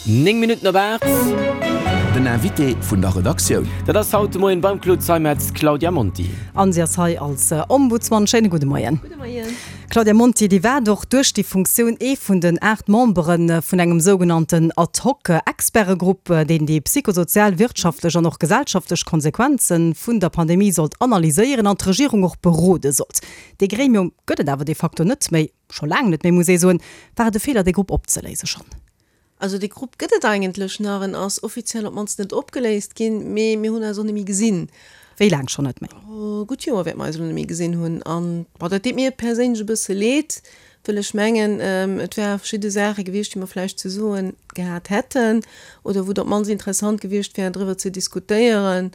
9 Minutten op 8. Den Invité vun der Redaktioun. Dat ass haut de Moien beim Claude Zeimetz d'Claudia Monti. An si ass hei als Ombudsman. Schéine gudde Moien. Gudde Moien. Claudia Monti, Dir waart och duerch déi Funktioun ee vun den 8 Membere vun engem sougenannten Ad-hoc-Expertegrupp, deen déi psychosozial, wirtschaftlech an och gesellschaftlech Konsequenze vun der Pandemie sollt analyséieren an d'Regierung och berode sollt. Dee Gremium gëtt et awer de facto net méi, scho laang net méi, muss ee soen. War et e Feeler, dee Grupp opzeléise schonn? Also dee Grupp gëtt et eigentlech nach, en ass offiziell op d'mannst net opgeléist ginn, mee mir hunn eis och net méi gesinn. Wéi laang schonn net méi? E gutt Joer wäerte mer eis elo net méi gesinn hunn. An, bon, dat deet mir perséinlech e bësse leed, wëll ech mengen, et wäre verschidde Saache gewiescht, déi mer vläicht ze soe gehat hätten oder wou et op d'mannst interessant gewiescht wär, driwwer ze diskutéieren.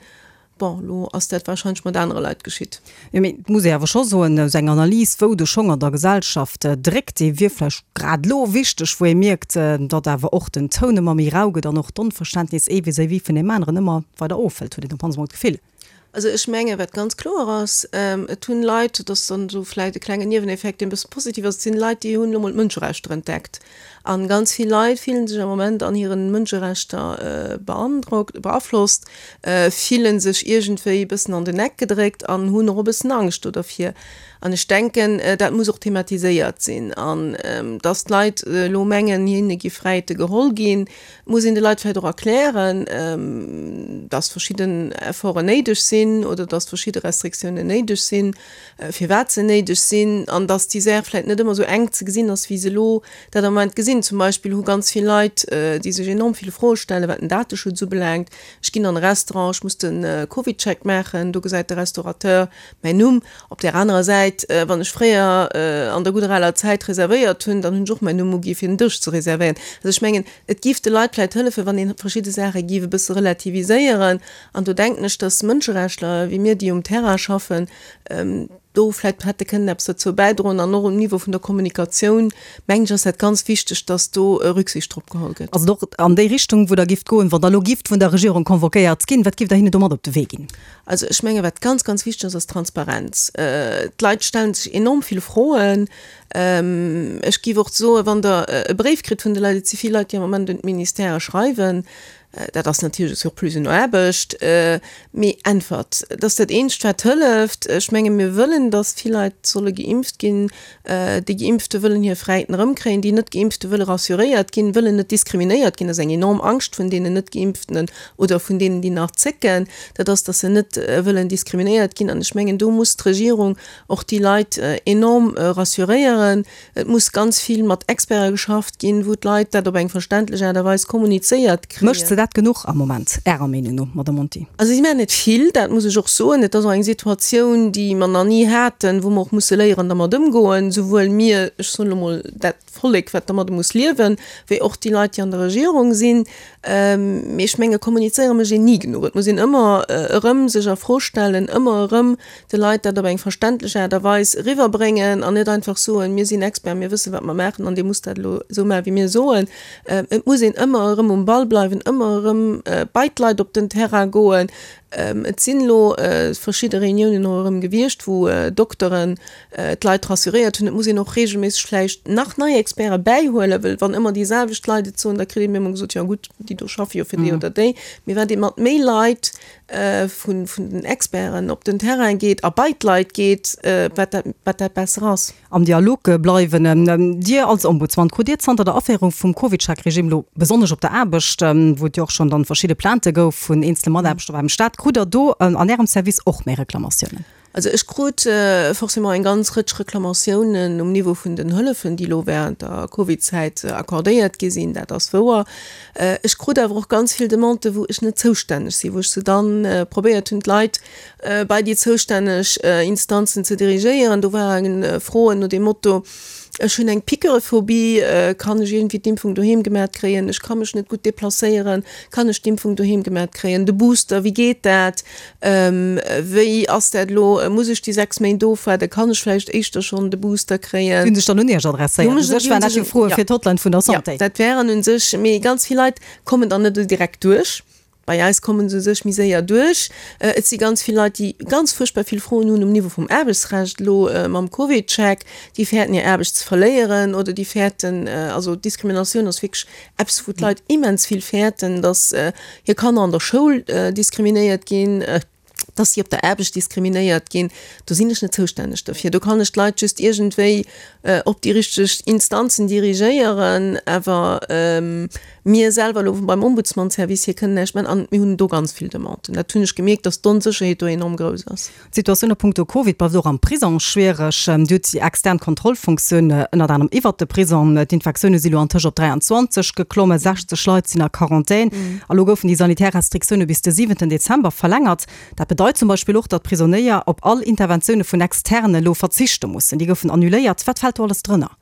Bon, elo ass dat wahrscheinlech mat anere Leit geschitt. Jo, mee et muss ee awer scho soen, esou eng Analys, wou de Schong an der Gesellschaft dréckt, déi wier vläicht grad elo wichteg, wou ee mierkt, datt awer och den Toun ëmmer méi rau gëtt an och d'Onverständnis ee vis-à-vis vun deem aneren ëmmer weider ofhëlt, huet een op d'mannst emol d'Gefill. Also ech menge wat ganz kloer ass, et hunn Leit, dat ass dann esou vläicht e klengen Nieweneffekt, deen e bësse positiv ass, et sinn Leit, déi hunn elo mol d'Mënscherechter entdeckt. An ganz vill Leit fillen sech am Moment an hiren Mënscherechter beandrockt, beaflosst, fillen sech iergendwéi e bëssen an den Eck gedréckt an hunn och e bëssen Angscht do dervir. An ech denken, dat muss och thematiséiert sinn. An dass d'Leit elo mengen, hinne gi Fräiheete geholl ginn, muss een de Leit vläicht och erklären, dass verschidden Efforten néideg sinn oder dass verschidde Restriktiounen néideg sinn. firwat se néideg sinn an dass déi Saach vläicht net ëmmer esou enk ze gesinn ass, wéi se elo dat am Moment gesinn. Zum Beispill hu ganz vill Leit, déi sech enorm vill Froe stellen, wat den Dateschutz ubelaangt. Ech ginn an e Restaurant, ech muss de CovidCheck maachen, do gesäit de Restaurateur mäin Numm. Op där anerer Säit, wann ech fréier an der gudder aler Zäit reservéiert hunn, dann hunn ech och mäin Numm ugi fir den Dësch ze reservéieren. Also ech mengen, et géif de Leit vläicht hëllefen, wann ee verschidde Saache géif e bësse relativiséieren. An do denken ech, dass Mënscherechtler wéi mir, déi um Terrain schaffen, do vläicht hätte kënnen eppes dozou bäidroen. An och um Niveau vun der Kommunikatioun, mengen ech, ass dat ganz wichteg, dass do Rücksicht drop geholl gëtt. Ass et och an déi Richtung, wou Der gifft goen, wann Der elo gifft vun der Regierung convoquéiert ginn? Wat gifft Der hinnen do mat op de Wee ginn? Also ech menge wat ganz, ganz wichteg ass, ass Transparenz. D'Leit stelle sech enorm vill Froen. Ech géif och soen, wann Der e Bréif kritt vun de Leit, et si vill Leit, déi am Moment un d'Ministèrë schreiwen, Dat ass natierlech e Surplus un Aarbecht, mee äntwert. Dat ass dat eenzegt, wat hëlleft. Ech menge mir wëllen, datt vill Leit solle geimpft ginn. Déi Geimpfte wëllen hir Fräiheeten erëmkréien, déi Net-Geimpfte wëlle rassuréiert ginn, wëllen net diskriminéiert ginn. Dat ass eng enorm Angscht vun deenen Net-Geimpftenen oder vun deenen, déi nach zécken, dat ass, datt se net wëllen diskriminéiert ginn. An ech mengen, do muss d'Regierung och déi Leit enorm rassuréieren. Et muss ganz vill mat Experte geschafft ginn, wou d'Leit dat op eng verständlech Aart a Weis kommunizéiert kréien. Mécht se dat genuch am Moment, Ärer Meenung no, Madame Monti? Also si maachen net vill, dat muss ech och soen. Et ass och eng Situatioun, déi mer nach ni haten, wou mer och musse léieren dermat ëmgoen, souwuel mir, ech soen elo mol dat Vollek, wat dermadde muss liewen, wéi och déi Leit, déi an der Regierung sinn. Mee ech menge kommunizéiere mécht een ni genuch. Et muss een ëmmer erëm sech a Fro stellen, ëmmer erëm de Leit dat op eng verständlech Aart a Weis eriwwerbréngen an net einfach soen, mir sinn Experten, mir wëssen, wat mer maachen an Dir musst dat elo esou maachen, wéi mir soen. Et muss een ëmmer erëm um Ball bleiwen, ëmmer erëm bei d'Leit op den Terrain goen. Et sinn elo verschidde Reuniounen och erëm gewiescht, wou Dokteren d'Leit rassuréiert hunn. Et muss een och reegelméisseg vläicht nach nei Experte bäihuelen, well wann ëmmer déi selwecht Leit et soen, da kritt een ëmmer gesot, jo gutt, déi do schaffe jo fir déi oder déi. Mee wat ee mat méi Leit vun den Experten op den Terrain geet a bei d'Leit geet, wat dat, wat dat besser ass. Am Dialog bleiwen. Dir als Ombudsman, krut Dir zanter der Aféierung vum CovidCheck-Regime elo besonnesch op der Aarbecht, wou et jo och schonn dann verschidde Plaintë gouf vun eenzele Mataarbechter beim Staat, krut Der do an Ärem Service och méi Reklamatiounen? Also ech krut forcément eng ganz Rëtsch Reklamatiounen um Niveau vun den Hëllefen, déi elo während der Covidzäit accordéiert gi sinn, dat ass wouer. Ech krut awer och ganz vill Demandë wou ech net zoustänneg sinn, wou ech se dann probéiert hunn d'Leit bei déi zoustänneg Instanzen ze dirigéieren. Do ware Froen no dem Motto, Ech hunn eng Piqûrephobie, kann ech iergendwéi d'Impfung doheem gemat kréien? Ech ka mech net gutt deplacéieren, kann ech d'Impfung doheem gemat kréien? De Booster, wéi geet dat? Wéi ass dat elo? Muss ech déi 6 Méint ofwaarden? Kann ech vläicht éischter schonn de Booster kréien? Déi hunn sech dann un Iech adresséiert. U sech waren dat jo Froe fir d'Hotline vun der Santé. Jo, dat wären u sech, mee ganz vill Leit kommen dann net esou direkt duerch. Bei eis komme se u sech méi séier duerch. Et si ganz vill Leit, déi ganz fuerchtbar vill Froen hunn um Niveau vum Aarbechtsrecht elo mam CovidCheck. Déi fäerten hir Aarbecht ze verléieren oder déi fäerten, also Diskriminatioun ass wierklech eppes, wou d'Leit immens vill fäerten, datt hir Kanner an der Schoul diskriminéiert ginn, datt si op der Aarbecht diskriminéiert ginn. Do sinn ech net zoustänneg derfir. Do kann ech d'Leit just iergendwéi op déi richteg Instanzen dirigéieren, awer mir selwer elo beim Ombudsman-Service hier kënnen näischt maachen an mir hunn do ganz vill Demanden. Dat hunn ech gemierkt, datt d'Onsécherheet do enorm grouss ass. D'Situatioun a punkto Covid bleift och am Prisong schwiereg. Dir hutt déi extern Kontrollfunktioun ënnert anerem iwwert de Prisong. D'Infektioune si lo antëscht op 23 geklommen, 60 Leit sinn a Quarantän. A lo goufen déi sanitär Restriktioune bis de siwenten Dezember verlängert. Dat bedeit zum Beispill och, datt d'Prisonéier op all Interventioune vun Externe elo verzichte mussen. Déi goufen annuléiert. Wat fält do alles drënner?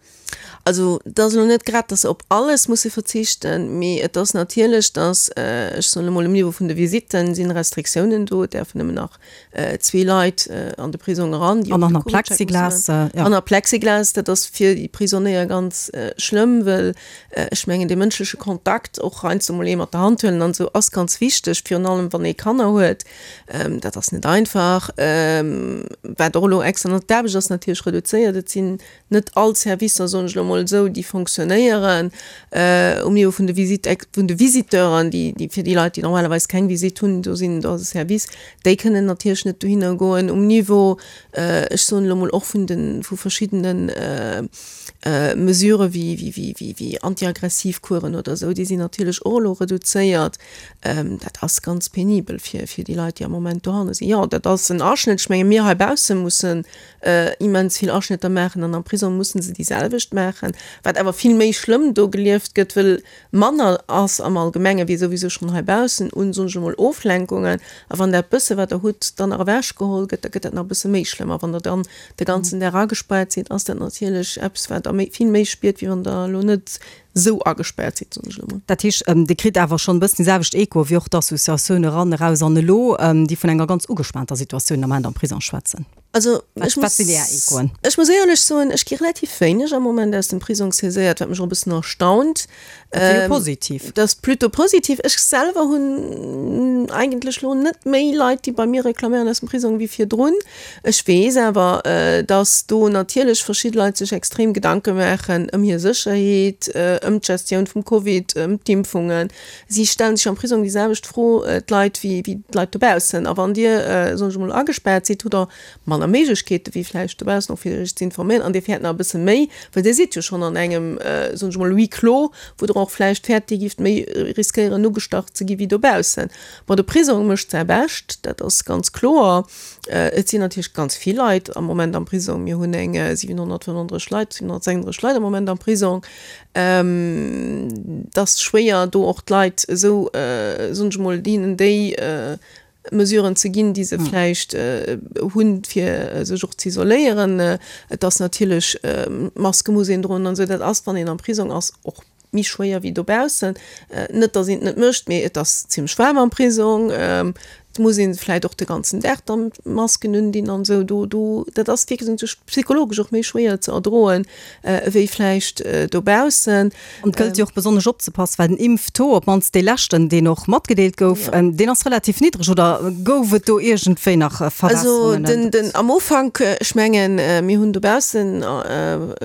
Also et ass elo net grad, datt se op alles musse verzichten, mee et ass natierlech, datt, ech soen emol, um Niveau vun de Visitten sinn Restriktiounen do. Et däerfen nëmmen nach zwee Leit an de Prisong eran, déi och de Covid-Check musse maachen. An a Plexiglas. Dat ass fir déi Prisonéier ganz schlëmm, well ech mengen, dee mënschleche Kontakt, och heiansdo mol ee mat der Hand huelen an esou, ass ganz wichteg, virun allem wann ee Kanner huet. Dat ass net einfach. Wat och elo extra, d'Aarbecht ass natierlech reduzéiert. Et sinn net all Servicer, soen ech elo emol esou, déi fonctionnéieren um Niveau vun de Visite, vun de Visiteuren, déi, déi fir déi Leit, déi normalerweis keng Visite hunn, do sinn, do ass e Service, déi kënnen natierlech net dohinner goen. Um Niveau, ech soen elo emol och vun de, vu verschiddene Mesurë wéi, wéi, wéi, wéi, wéi antiaggressiv Coursen oder esou, déi sinn natierlech och elo reduzéiert. Dat ass ganz penibel fir, fir déi Leit, déi am Moment dohanne sinn. Jo, dat ass en Aschnëtt. Ech menge mir heibausse mussen immens vill Aschnëtter maachen an am Prisong mussen se déi selwecht maachen, wat awer vill méi schlëmm do gelieft gëtt, wëll manner ass am Allgemenge wéi souwisou schonn heibaussen un, soen ech emol, Oflenkungen. A wann dat bësse wat der hutt dann nach ewechgeholl gëtt, da gëtt dat nach e bësse méi schlëmm. A wann der dann de ganzen Dag agespaart sidd, ass dat natierlech eppes wat der méi, vill méi spiert, wéi wann der elo net esou agespaart sidd, soen ech elo mol. Dat heescht, Dir kritt awer schonn e bëssen déi selwecht Echoe wéi och d'Associatioun Eran, Eraus an Elo, déi vun enger ganz ugespaanter Situatioun am Ament am Prisong schwätzen. Also ech muss, ech muss éierlech soen, ech gi relativ wéineg am Moment aus dem Prisong saiséiert, wat mech och e bëssen erstaunt. Dat ass jo positiv. Dat ass plutôt positiv. Ech selwer hunn eigentlech elo net méi Leit, déi bei mir reklaméieren aus dem Prisong wéi virdrun. Ech weess awer, datt do natierlech verschidde Leit sech extrem Gedanke maachen ëm hir Sécherheet, ëm d'Gestioun vum Covid, ëm d'Impfungen. Si stellen sech am Prisong déi selwecht Fro, d'Leit, wéi d'Leit dobaussen. A wann Dir, soen ech emol, agespaart sidd, hutt Der manner Méiglechkeete wéi vläicht dobaussen och fir Iech ze informéieren. An Dir fäert nach e bësse méi, well Dir sidd jo schonn an engem, soen ech emol, Huis clos, wou Der och vläicht fäert, Dir gift méi riskéieren, ugestach ze gi wéi dobaussen. Bon, de Prisong mécht säi Bescht, dat ass ganz kloer. Et sinn natierlech ganz vill Leit am Moment am Prisong. Mir hunn eng 735 Leit, 736 Leit am Moment am Prisong. Et ass schwéier do och d'Leit esou, soen ech emol, hinnen déi Mesuren ze ginn, déi se vläicht hunn, fir sech och ze isoléieren. Et ass natierlech, Maske muss een droen an esou, dat ass, wann een am Prisong ass, och méi schwéier wéi dobaussen. Net, datt een et net mécht, mee et ass zimmlech waarm am Prisong. Et muss een vläit och de ganzen Dag dann d'Masken undinn an esou. Do, do, dat ass wierklech sech psychologesch och méi schwéier ze erdroen, ewéi vläicht dobaussen. An et gëllt jo och besonnesch opzepassen, well den Impftaux, op d'mannst dee leschten, deen och matgedeelt gouf, deen ass relativ niddreg. Oder gouf et do iergendwéi nach Verbesserungen? Also den, den, am Ufank, ech mengen, mir hunn dobaussen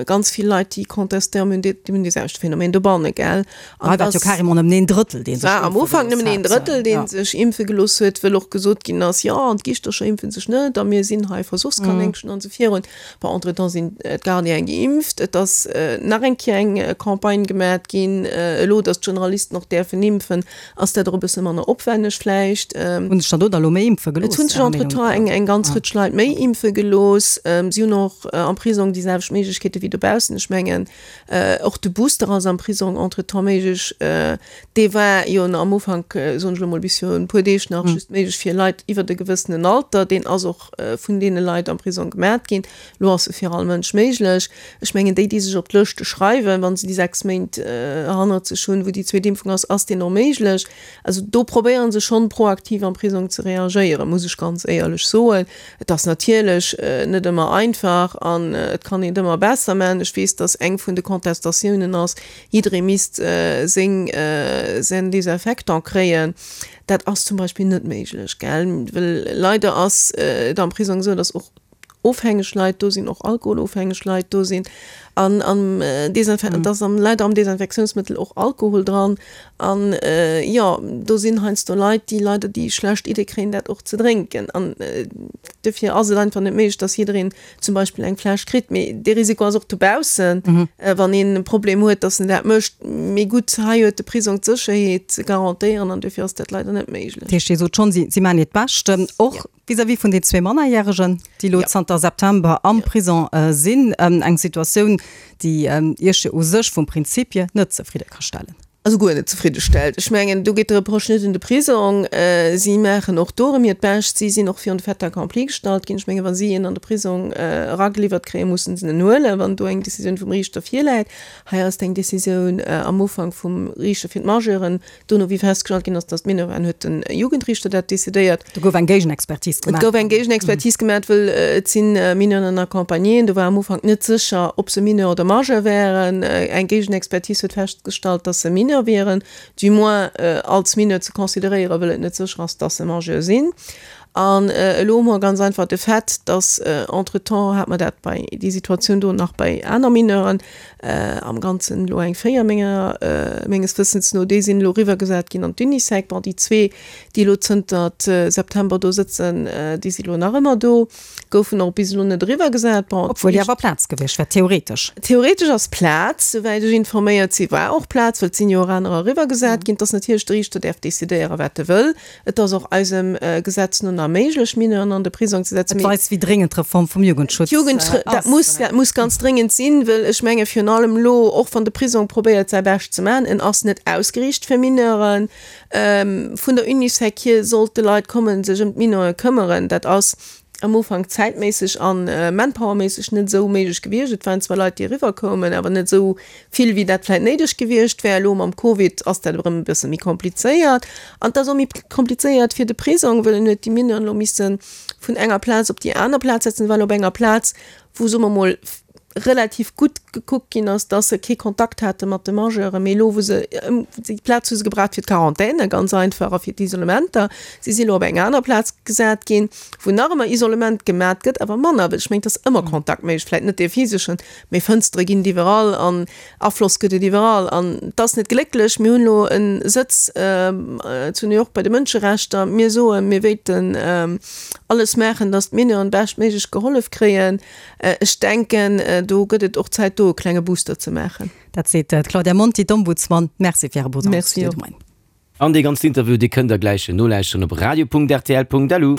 ganz vill Leit, déi contestéieren, mir hunn dee, mir hunn dee selwechte Phänomen dobanne, gell? An hei war et jo carrément nëmmen een Drëttel, dee sech war am impfe Ufank gelooss nëmmen een hat. Drëttel, dee Ja. sech impfe gelooss huet, wëll och gesot ginn ass, jo, an d'Giischtercher impfe sech net a mir sinn hei Versuchskanéngchen an esou virun. Bon, entretemps sinn d'Gardiene geimpft, et ass nach eng Kéier eng Campagne gemat ginn. Elo, datt d'Generalisten och däerfen impfen, ass dat och e bësse manner opwenneg vläicht. Hunn sech dann do da elo méi impfe gelooss? Et hunn sech entretemps eng eng ganz Rëtsch Leit méi impfe gelooss. Si hunn och am Prisong déi selwecht Méiglechkeete wéi dobaussen. Ech mengen, Och de Booster ass am Prisong entretemps méiglech. Dee war jo am Ufank, soen ech elo mol, bis virun e puer Deeg nach just méiglech. méiglech fir Leit iwwert e gewëssenen Alter. Deen ass och vun deene Leit am Prisong gemat ginn. Elo ass e fir all Mënsch méiglech. Ech mengen, déi, déi sech op d'Lëschte schreiwen, wa se déi 6 Méint hannert sech hunn, wou déi zweet Impfung ass, ass deen och méiglech. Also do probéiere se schonn proaktiv am Prisong ze reagéieren, muss ech ganz éierlech soen. Et ass natierlech net ëmmer einfach an et kann een et ëmmer besser maachen. Ech weess, datt eng vun de Contestatiounen ass, jidderee misst seng säin Désinfectant kréien. Dat ass zum Beispill net méiglech, gell, well leider ass et am Prisong esou, datt och ofhängeg Leit do sinn, och alkoholofhängeg Leit do sinn an am Desinfe et ass am leider am Desinfektiounsmëttel och Alkohol dran an jo do sinn heiansdo Leit, déi leider déi schlecht Idee kréien dat och ze drénken an dofir ass et einfach net méiglech, dass jiddereen zum Beispill eng Fläsch kritt. Mee dee Risiko ass och dobaussen, wann een e Problem huet, dass en dat mécht. Mee gutt, hei huet de Prisong d'Sécherheet ze garantéieren an dofir ass dat leider net méiglech. Dat heescht, Dir sot schonn, si maachen hiert Bescht, och Vis-à-vis vun den zwee Mannerjäregen, déi elo zanter September am Prison sinn, eng Situatioun, déi Iech jo u sech vum Prinzip hier net zefridde ka stellen. Also guer net zefridde stellt. Ech mengen, do geet de Reproche net un de Prisong. Si maachen och do erëm hiert Bescht. Si sinn och virun de Fait accompli gestallt ginn. Ech mengen, wa si een an de Prisong erageliwwert kréien, mussen se en huelen, wann do eng Decisioun vum Riichter virläit. Hei ass et eng Decisioun am Ufank vum Riichter fir d'Majeuren, Dono, wéi festgestallt ginn ass, datt d'Mineur waren, huet de Jugendriichter dat decidéiert. Do gouf eng Géigenexpertis gemaach. Et gouf eng Géigenexpertis gemaach, wëll et si Mineuren an Accompagnéen. Do war am Ufank net sécher, ob se Mineur oder Majeur wären. Eng Géigenexpertis huet festgestallt, datt se Mineur wieren, du moins als Mineur ze consideréieren, wëll et net sécher ass, datt se Majeur sinn. An elo hu mer ganz einfach de Fait, datt entretemps hat mer dat bei déi Situatioun do nach bei aner Mineuren, am Ganzen elo eng 4 menger, menges Wëssens no, déi sinn elo eriwwergesat ginn an d'Unisec. Bon, déi zwee, déi elo zënter September do sëtzen, déi si elo nach ëmmer do, goufen och bis elo net eriwwergesat. Bon, Obwuel jo awer Plaz gewiescht wär, theoretesch. Theoretesch ass Plaz, souwäit ech informéiert si war och Plaz, well et sinn jo och anerer eriwwergesat ginn. Et ass natierlech, de Riichter däerf decidéieren, wat e wëll. Et ass och eisem Gesetz no nach méiglech, Mineuren an de Prisong ze setzen. Et weist, wéi dréngend d'Reform vum Jugendschutz ass. Dat muss, dat muss ganz dréngend sinn, well ech menge virun allem elo, och wann de Prisong probéiert säi Bescht ze maachen, en ass net ausgeriicht fir Mineuren. Vun der Unisec hier sollte Leit kommen, sech ëm d'Mineure këmmeren. Dat ass am Ufank zäitméisseg a manpowerméisseg net esou méiglech gewiescht. Et waren zwar Leit, déi eriwwer koumen, awer net esou vill, wéi dat vläicht néideg gewiescht wär. Elo mam Covid ass dat erëm e bësse méi komplizéiert. An et ass och méi komplizéiert fir de Prisong, well en huet déi Mineuren elo misse vun enger Plaz op déi aner Plaz setzen. Well op enger Plaz, wou, soe mer mol, relativ gutt gekuckt ginn ass, dass se kee Kontakt hate mat de Majeuren, mee elo wou se, déi Plaz hu se gebraucht fir d'Quarantaine ganz einfach a fir d'Isolementer. Si si elo op eng aner Plaz gesat ginn, wou nach ëmmer Isolement gemat gëtt, awer manner, well ech mengen, et ass ëmmer Kontakt méiglech, vläicht net dee physeschen, mee Fënstere ginn et iwwerall an Afloss gëtt et iwwerall an et ass net glécklech. Mir hunn elo e Sëtz zu New York bei de Mënscherechter. Mir soen, mir wéilten alles maachen, dass d'Mineuren beschtméiglech gehollef kréien. Ech denken, do gëtt et och Zäit, do e klenge Booster ze maachen. Dat seet d'Claudia Monti, d'Ombudsman. Merci fir Äre Besuch am Studio de Moien. An dee ganzen Interview, dee kënnt der gläich nolauschteren op radio.rtl.lu.